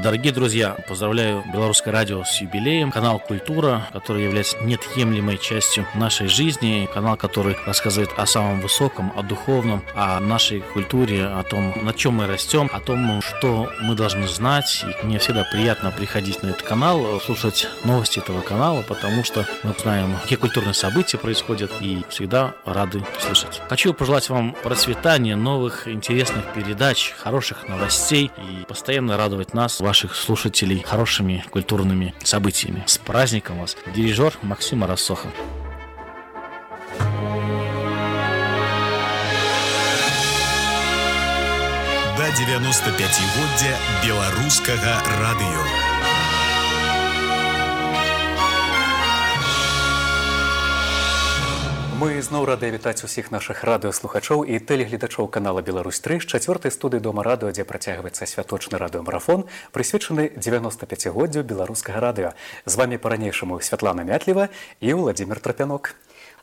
Дорогие друзья, поздравляю Белорусское радио с юбилеем. Канал «Культура», который является неотъемлемой частью нашей жизни. Канал, который рассказывает о самом высоком, о духовном, о нашей культуре, о том, на чем мы растем, о том, что мы должны знать. И мне всегда приятно приходить на этот канал, слушать новости этого канала, потому что мы знаем, какие культурные события происходят, и всегда рады слышать. Хочу пожелать вам процветания, новых интересных передач, хороших новостей и постоянно радовать нас, ваших слушателей, хорошими культурными событиями. С праздником вас! Дирижер Максим Рассохов. До 95-годдзя беларускага радыё. Мы зноў рады вітаць усіх нашых радыёслухачоў і тэлегледачоў канала «Беларусь-3» з 4-й студыі Дома радыё, дзе працягваецца святочны радыёмарафон, прысвечаны 95-годдзю беларускага радыё. З вамі па-ранейшаму Святлана Мятлева і Владзімир Трапянок.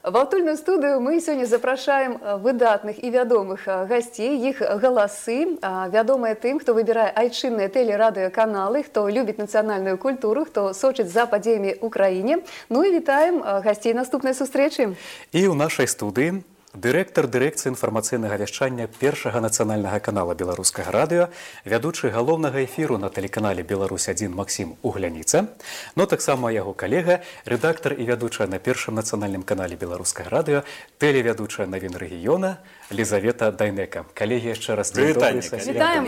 В аўтульную студыю мы сёння запрашаем выдатных і вядомых гасцей, іх галасы, вядомыя тым, хто выбірае айчынныя тэлерадыёканалы, хто любіць нацыянальную культуру, хто сочыць за падзеямі ў краіне. Ну і вітаем гасцей наступнай сустрэчы. І ў нашай студыі дырэктар дырэкцыі інфармацыйнага вяшчання першага нацыянальнага канала беларускага радыё, вядучы галоўнага эфіру на тэлеканале «Беларусь-1» Максім Угляніца, но таксама яго калега, рэдактар і вядучая на першым нацыянальным канале беларускага радыё, тэлевядучая навін рэгіёна Лізавета Дайнека. Калегі, яшчэ раз вітаем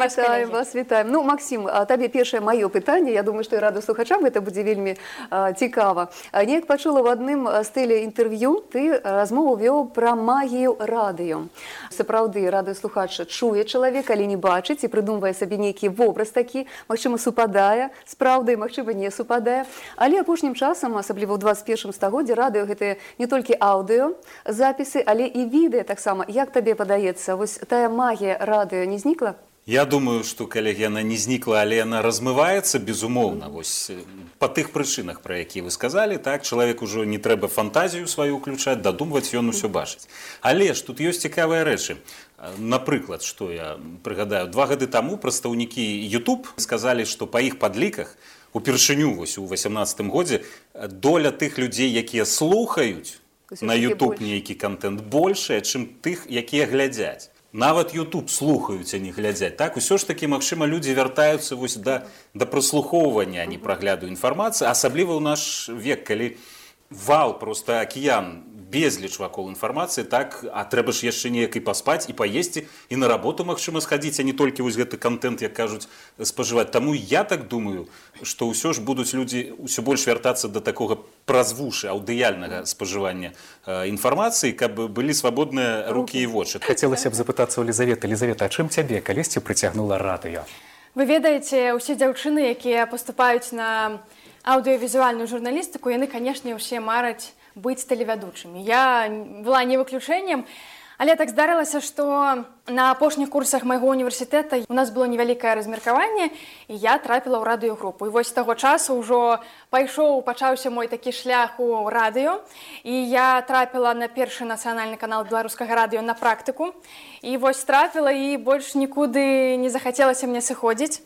вас, вітаем. Ну, Максім, табе першае маё пытанне, я думаю, што і радыёслухачам гэта будзе вельмі цікава. Неяк пачула в адным з тэлеінтэрв'ю, ты размову вёў пра магію радыё. Сапраўды, радыёслухач чуе чалавека, але не бачыць і прыдумвае сабе нейкі вобраз такі, магчыма, супадае з праўдай, магчыма, не супадае. Але апошнім часам, асабліва ў 21 стагоддзі, радыё гэта не толькі аўдыё запісы, але і відэа таксама. Як табе падаецца, вось тая магія радыё не знікла? Я думаю, што, калегі, яна не знікла, але яна размываецца, безумоўна, вось па тых прычынах, пра якія вы сказалі, так, чалавек ужо не трэба фантазію сваю ўключаць, дадумваць, ён усё бачыць. Але ж тут ёсць цікавыя рэчы. Напрыклад, што я прыгадаю, 2 гады таму прадстаўнікі YouTube сказалі, што па іх падліках упершыню вось у 18 годзе доля тых людзей, якія слухаюць на YouTube нейкі контент большая, чым тых, якія глядзяць. Нават YouTube слухаюць, а не глядзяць. Так, усё ж такі, магчыма, людзі вяртаюцца вось да праслухоўвання, а не прагляду інфармацыі, асабліва ў наш век, калі вал, проста акіян, безліч вакол інфармацыі, так, а трэба ж яшчэ неяк і паспаць, і паесці, і на работу, магчыма, схадзіць, а не толькі вось гэты контент, як кажуць, спажываць. Таму я так думаю, што ўсё ж будуць людзі ўсё больш вяртацца да такога празвушы аўдыяльнага спажывання інфармацыі, каб былі свабодныя рукі і вочы. Хацелася б запытацца ў Лізаветы. Лізавета, а чым цябе калісьці прыцягнула радыё? Вы ведаеце, усе дзяўчыны, якія паступаюць на аўдыёвізуальную журналістыку, яны, канешне, ўсе мараць быць тэлевядучымі. Я была не выключэннем, але так здарылася, што на апошніх курсах майго універсітэта у нас было невялікае размеркаванне, і я трапіла ў радыёгрупу. І вось з таго часу ўжо пачаўся мой такі шлях у радыё, і я трапіла на першы нацыянальны канал беларускага радыё на практыку. І вось трапіла, і больш нікуды не захацелася мне сыходзіць.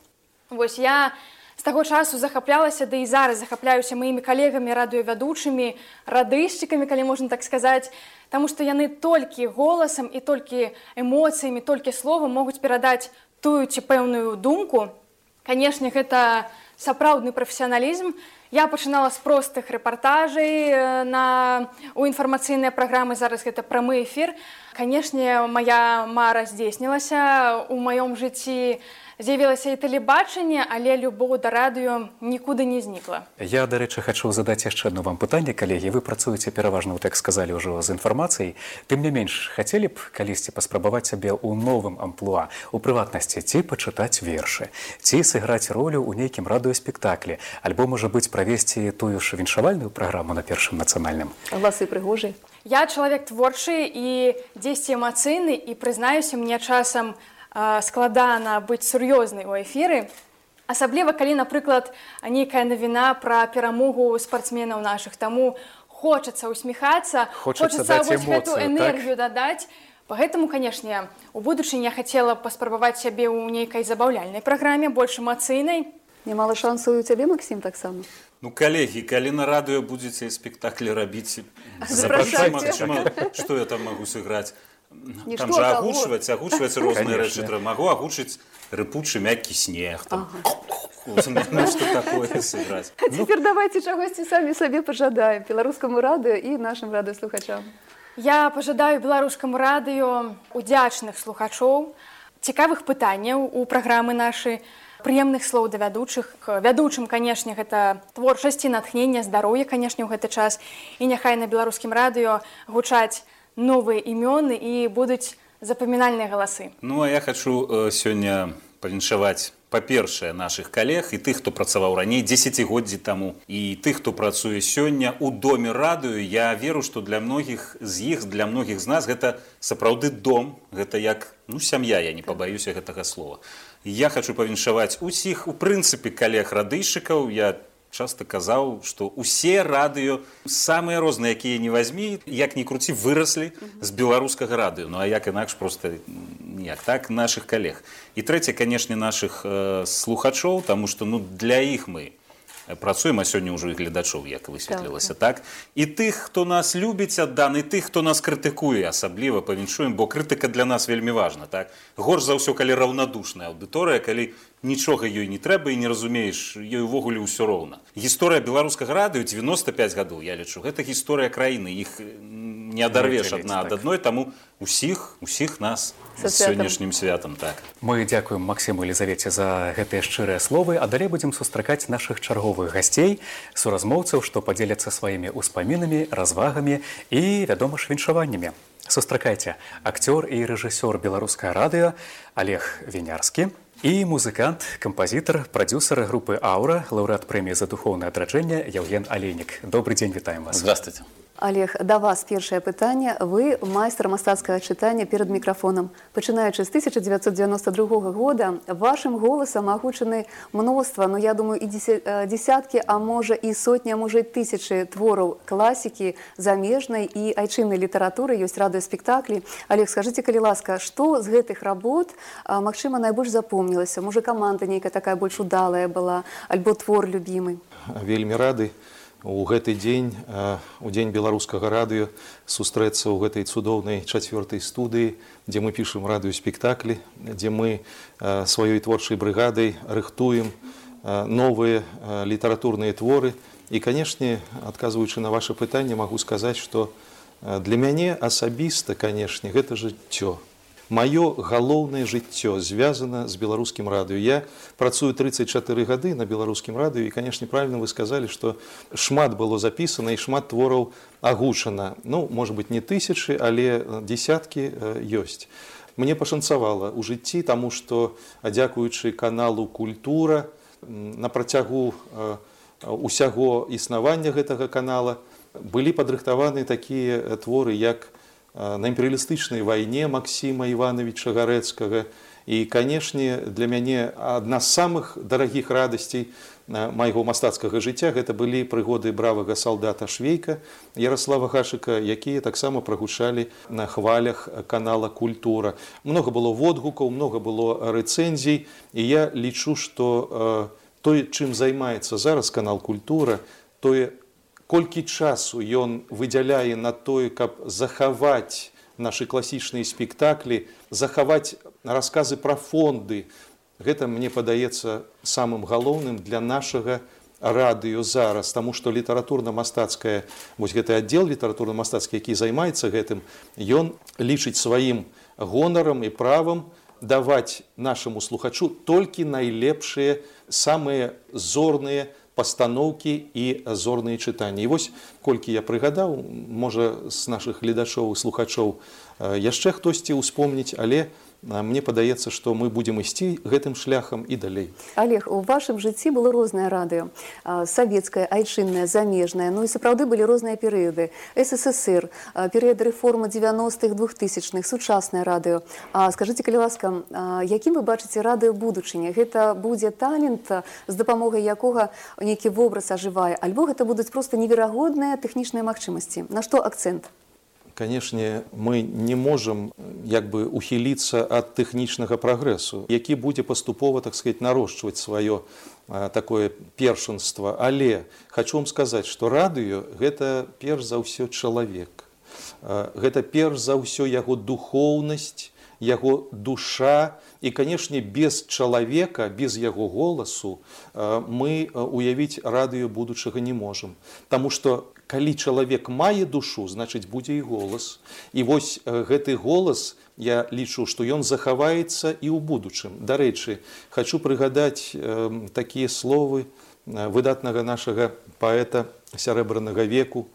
Вось я з таго часу захаплялася, да і зараз захапляюся маімі калегамі, радыёвядучымі, радышчыкамі, калі можна так сказаць, таму што яны толькі голасам і толькі эмоцыямі, толькі словам могуць перадаць тую ці пэўную думку. Канешне, гэта сапраўдны прафесіяналізм. Я пачынала з простых рэпартажай у інфармацыйныя праграмы, зараз гэта прамы эфір. Канешне, мая мара здзейснілася, у маём жыцці з'явілася і тэлебачанне, але любоў да радыё нікуды не знікла. Я, дарэчы, хачу задаць яшчэ одно вам пытанне, калегі. Вы працуеце пераважна, так сказалі ўжо, з інфармацыяй. Тым не менш, хацелі б калісьці паспрабаваць сябе ў новым амплуа, у прыватнасці, ці пачытаць вершы, ці сыграць ролю ў нейкім радыёспектаклі, альбо, можа быць, правесці тую ж віншавальную праграму на першым нацыянальным? Галасы прыгожыя. Я чалавек творчы і дзесьці эмацыйны, і прызнаюся, мне часам складана быць сур'ёзнай у эфіры, асабліва калі, напрыклад, нейкая навіна пра перамогу спартсменаў нашых. Таму хочацца усміхацца, хочацца вось гэту энергію дадаць. Поэтому, канешне, у будучыні я хацела паспрабаваць сябе ў нейкай забаўляльнай праграме, больш эмацыйнай. Нямала шансаў і ў цябе, Максім, таксама? Ну, коллеги, калі на радыё будзеце спектаклі рабіць, Запрашайце. Што я там магу сыграць? Нішто, Там жа а агучваць розныя рэчы. Конечно. Магу агучыць рыпучы мяккі снег. Там. Ну, што такое сыграць? А цяпер давайце чагосьці самі сабе пажадаем беларускаму радыё і нашым радыёслухачам. Я пажадаю беларускаму радыё удзячных слухачоў, цікавых пытанняў у праграмы нашай, прыемных слоў да вядучых. Вядучым, канешне, гэта творчасці, натхнення, здароўя, канешне, ў гэты час. І няхай на беларускім радыё гучаць новыя імёны і будуць запамінальныя галасы. Ну, а я хачу сёння павіншаваць, па-першае, нашых калег і тых, хто працаваў раней, дзесяцігоддзі таму, і тых, хто працуе сёння ў доме радыё. Я веру, што для многіх з іх, для многіх з нас гэта сапраўды дом, гэта як, ну, сям'я, я не пабаюся гэтага слова. Я хачу павіншаваць усіх, у прынцыпе, калег радыйшчыкаў. Я часта казаў, што усе радыё, самыя розныя, якія не вазьмі, як ні круці, выраслі з беларускага радыё. Ну, а як інакш, проста ніяк. Так, нашых калег. І трэцяе, канешне, нашых слухачоў, таму што, ну, для іх мы працуем, а сёння ўжо і гледачоў, як высветлілася, так? І тых, хто нас любіць адданы, і тых, хто нас крытыкуе, асабліва павіншуем, бо крытыка для нас вельмі важна, так? Горш за ўсё, калі раўнадушная аўдыторыя, калі нічога ёй не трэба і не разумееш, ёй увогуле ўсё роўна. Гісторыя беларускага радыё 95 гадоў, я лічу, гэта гісторыя краіны, іх не адарвеш адна ад адной, таму усіх нас з сённяшнім святам. Так. Мы дзякуем Максіму і Елізавеце за гэтыя шчырыя словы, а далей будзем сустракаць нашых чарговых гасцей, суразмоўцаў, што падзеляцца сваімі ўспамінамі, развагамі і, вядома ж, віншаваннямі. Сустракайце, акцёр і рэжысёр беларускага радыё Олег Вінярскі і музыкант, кампазітар, прадзюсар групы «Аура», лаўрэат прэміі за духоўнае адраджэнне Яўген Алейнік. Добрый дзень, вітаем вас. Здравствуйте. Олег, да вас першае пытанне. Вы майстар мастацкага чытання перад мікрафонам. Пачынаючы з 1992 года, вашым голасам агучаны мноства, ну, я думаю, і десяткі, а можа і сотні, а можа і тысячы твораў класікі, замежнай і айчыннай літаратуры, ёсць радыёспектаклі. Олег, скажыце, калі ласка, што з гэтых работ, магчыма, найбольш запомнілася? Можа, каманда нейкая такая больш удалая была, альбо твор любімы? Вельмі рады у гэты дзень, у дзень беларускага радыё, сустрэцца ў гэтай цудоўнай 4-й студыі, дзе мы пішам радыёспектаклі, дзе мы сваёй творчай брыгадай рыхтуем новыя літаратурныя творы. І, канешне, адказваючы на ваше пытанне, магу сказаць, што для мяне асабіста, канешне, гэта жыццё. Маё галоўнае жыццё звязана з беларускім радыё. Я працую 34 гады на беларускім радыё, і, канешне, правільна вы сказалі, што шмат было запісана і шмат твораў агучана. Ну, можа быць, не тысячы, але дзесяткі ёсць. Мне пашанцавала ў жыцці, таму што, дзякуючы каналу «Культура», на працягу усяго існавання гэтага канала былі падрыхтаваны такія творы, як «На імперыялістычнай вайне» Максіма Івановича Гарэцкага. І, канешне, для мяне адна з самых дарагіх радасцей майго мастацкага жыцця гэта былі прыгоды бравага салдата Швейка Ярослава Гашыка, якія таксама прагучалі на хвалях канала «Культура». Многа было водгукаў, многа было рэцэнзій, і я лічу, што тое, чым займаецца зараз канал «Культура», тое, колькі часу ён выдзяляе на тое, каб захаваць нашы класічныя спектаклі, захаваць расказы пра фонды, гэта, мне падаецца, самым галоўным для нашага радыё зараз, таму што літаратурна-мастацкая, вось гэты аддзел літаратурна-мастацкі, які займаецца гэтым, ён лічыць сваім гонарам і правам даваць нашаму слухачу толькі найлепшыя, самыя зорныя пастаноўкі і зорныя чытанні. І вось, колькі я прыгадаў, можа, з нашых гледачоў і слухачоў яшчэ хтосьці ўспомніць, але мне падаецца, што мы будзем ісці гэтым шляхам і далей. Олег, у вашым жыцці было рознае радыё. Савецкае, айчыннае, замежнае. Ну і сапраўды былі розныя перыяды. СССР, перыяд рэформы 90-х, 2000-х, сучаснае радыё. Скажыце, калі ласка, якім вы бачыце радыё будучыні? Гэта будзе талент, з дапамогай якога нейкі вобраз ажывае, альбо гэта будуць проста неверагодныя тэхнічныя магчымасці? На што акцэнт? Канешне, мы не можам як бы ухіліцца ад тэхнічнага прагрэсу, які будзе паступова, так сказать, нарошчваць сваё такое першынства. Але хочу вам сказаць, што радыё гэта перш за ўсё чалавек. Гэта перш за ўсё яго духоўнасць, яго душа. І, канешне, без чалавека, без яго голасу мы уявіць радыё будучага не можам. Таму што калі чалавек мае душу, значыць будзе і голас. І вось гэты голас, я лічу, што ён захаваецца і ў будучым. Дарэчы, хочу прыгадаць такія словы выдатнага нашага паэта сярэбранага веку,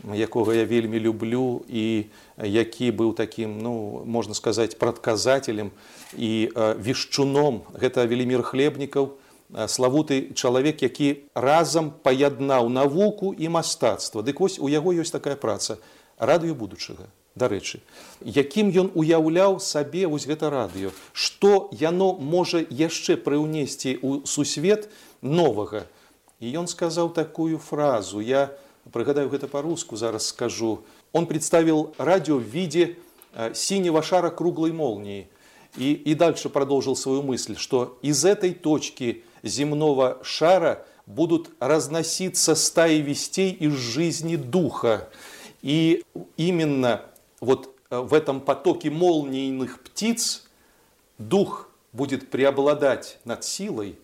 якога я вельмі люблю і які быў такім, ну, можна сказаць, прадказателем і вешчуном. Гэта Велімір Хлебнікаў, славуты чалавек, які разам паяднаў навуку і мастацтва. Дык вось у яго ёсць такая праца радыё будучага. Дарэчы, якім ён уяўляў сабе вось гэта радыё, што яно можа яшчэ прыўнесці ў сусвет новага. І ён сказаў такую фразу, я прыгадаю гэта по-руску, зараз скажу. Он представил радио в виде синего шара круглой молнии. И дальше продолжил свою мысль, что из этой точки земного шара будут разноситься стаи вестей из жизни духа. И именно вот в этом потоке молнийных птиц дух будет преобладать над силой,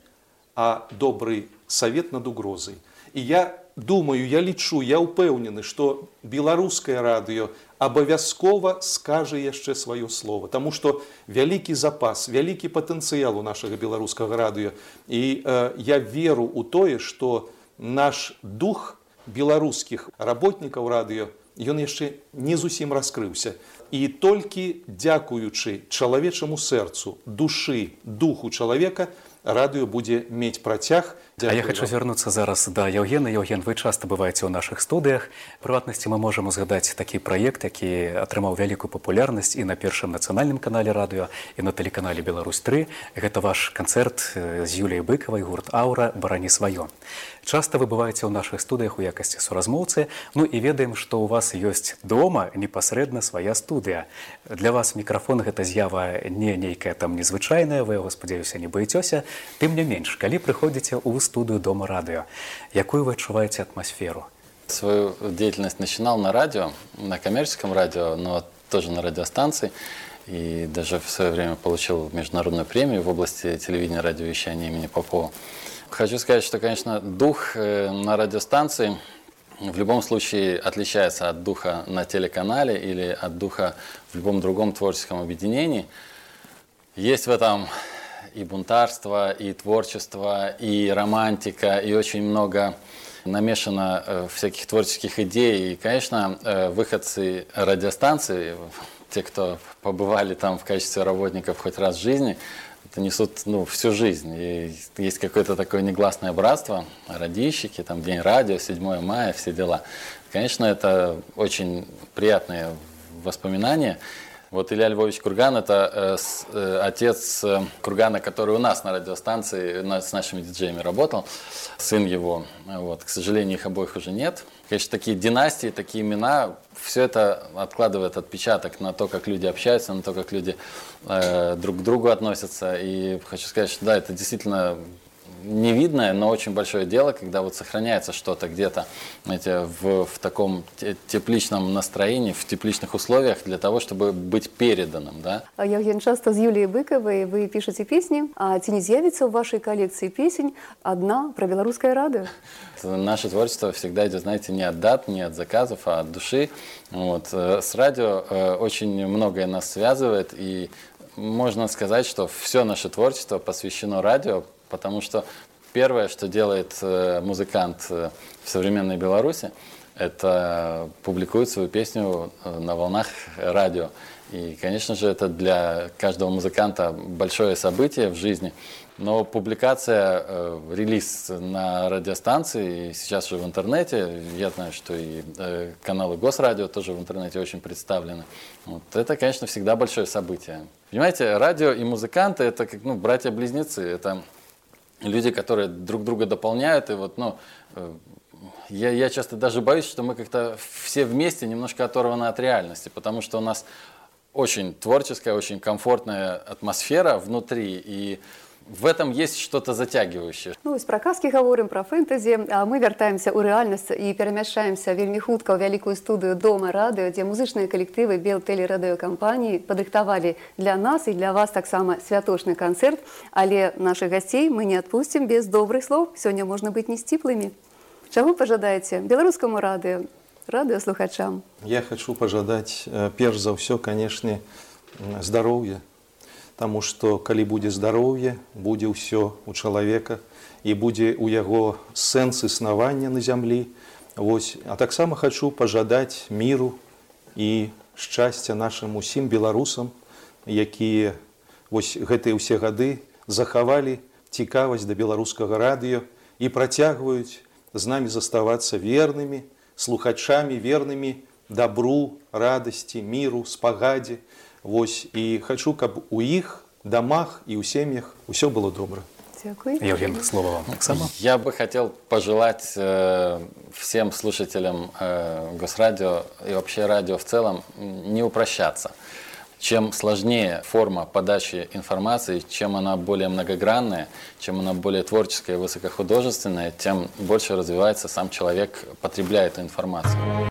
а добрый совет над угрозой. И я думаю, я лічу, я ўпэўнены, што беларускае радыё абавязкова скажа яшчэ сваё слово, таму што вялікі запас, вялікі патэнцыял у нашага беларускага радыё. І я веру ў тое, што наш дух беларускіх работнікаў радыё, ён яшчэ не зусім раскрыўся. І толькі дзякуючы чалавечаму сэрцу, душы, духу чалавека, радыё будзе мець працяг. А я хочу звярнуцца зараз да Яўгена. Яўген, вы часта бываеце ў нашых студыях. У прыватнасці мы можам узгадаць такі праект, які атрымаў вялікую папулярнасць і на першым нацыянальным канале радыё, і на тэлеканале Беларусь-3. Гэта ваш канцэрт з Юліяй Быкавай, гурт «Аўра. Барані сваё». Часта вы бываеце ў нашых студыях у якасці суразмоўцы, ну і ведаем, што ў вас ёсць дома непасрэдна свая студыя. Для вас мікрафон гэта з'ява не нейкая там незвычайная, вы яго, спадзяюся, не баецёся. Тым не менш, калі прыходзіце ў студыю Дома радыё, якую вы адчуваеце атмасферу? Свою деятельность начинал на радио, на коммерческом радио, но тоже на радиостанции. И даже в свое время получил международную премию в области телевидения и радиовещания имени Попова. Хочу сказать, что, конечно, дух на радиостанции в любом случае отличается от духа на телеканале или от духа в любом другом творческом объединении. Есть в этом и бунтарство, и творчество, и романтика, и очень много намешано всяких творческих идей. И, конечно, выходцы радиостанции, те, кто побывали там в качестве работников хоть раз в жизни, это несут всю жизнь. И есть какое-то такое негласное братство, радищики, там День радио, 7 мая, все дела. Конечно, это очень приятные воспоминания. Вот Илья Львович Курган – это отец Кургана, который у нас на радиостанции с нашими диджеями работал, сын его. Вот. К сожалению, их обоих уже нет. Конечно, такие династии, такие имена, все это откладывает отпечаток на то, как люди общаются, на то, как люди друг к другу относятся. И хочу сказать, что да, это действительно невидное, но очень большое дело, когда вот сохраняется что-то где-то в таком тепличном настроении, в тепличных условиях для того, чтобы быть переданным. Да? Яўген, часто з Юліяй Быкавай вы пішаце песні, а ці не з'явіцца ў вашай колекції песень одна про белорусское радио? Наше творчество всегда идет, знаете, не от дат, не от заказов, а от души. Вот. С радио очень многое нас связывает, и можно сказать, что все наше творчество посвящено радио, потому что первое, что делает музыкант в современной Беларуси, это публикует свою песню на волнах радио. И, конечно же, это для каждого музыканта большое событие в жизни. Но публикация, релиз на радиостанции, и сейчас же в интернете, я знаю, что и каналы Госрадио тоже в интернете очень представлены. Вот это, конечно, всегда большое событие. Понимаете, радио и музыканты – это как братья-близнецы, это люди, которые друг друга дополняют. И вот, Я часто даже боюсь, что мы как-то все вместе немножко оторваны от реальности, потому что у нас очень творческая, очень комфортная атмосфера внутри, и в этом есть что-то затягивающее. Ну, про казки говорим, про фэнтэзі, а мы вяртаемся ў рэальнасць і перамяшчаемся вельмі хутка ў вялікую студыю Дома радыё, дзе музычныя калектывы Белтэлерадыёкампаніі падрыхтавалі для нас і для вас таксама святочны канцэрт, але нашых гасцей мы не адпусцім без добрых слоў. Сёння можна быць не сціплымі. Чаго пажадаеце беларускаму радыё, радыёслухачам? Я хочу пожадать, перш за ўсё, конечно, здоровья. Таму што калі будзе здароўе, будзе ўсё у чалавека і будзе ў яго сэнс існавання на зямлі. Вось. А таксама хочу пажадаць міру і шчасця нашым усім беларусам, якія вось гэтыя ўсе гады захавалі цікавасць да беларускага радыё і працягваюць з намі заставацца вернымі, слухачамі, вернымі дабру, радасці, міру, спагадзе. Вось, и хочу, каб у их домах и у семьях все было добро. Дякую. Евген, слово вам. Оксана. Я бы хотел пожелать всем слушателям Госрадио и вообще радио в целом не упрощаться. Чем сложнее форма подачи информации, чем она более многогранная, чем она более творческая и высокохудожественная, тем больше развивается сам человек, потребляя эту информацию.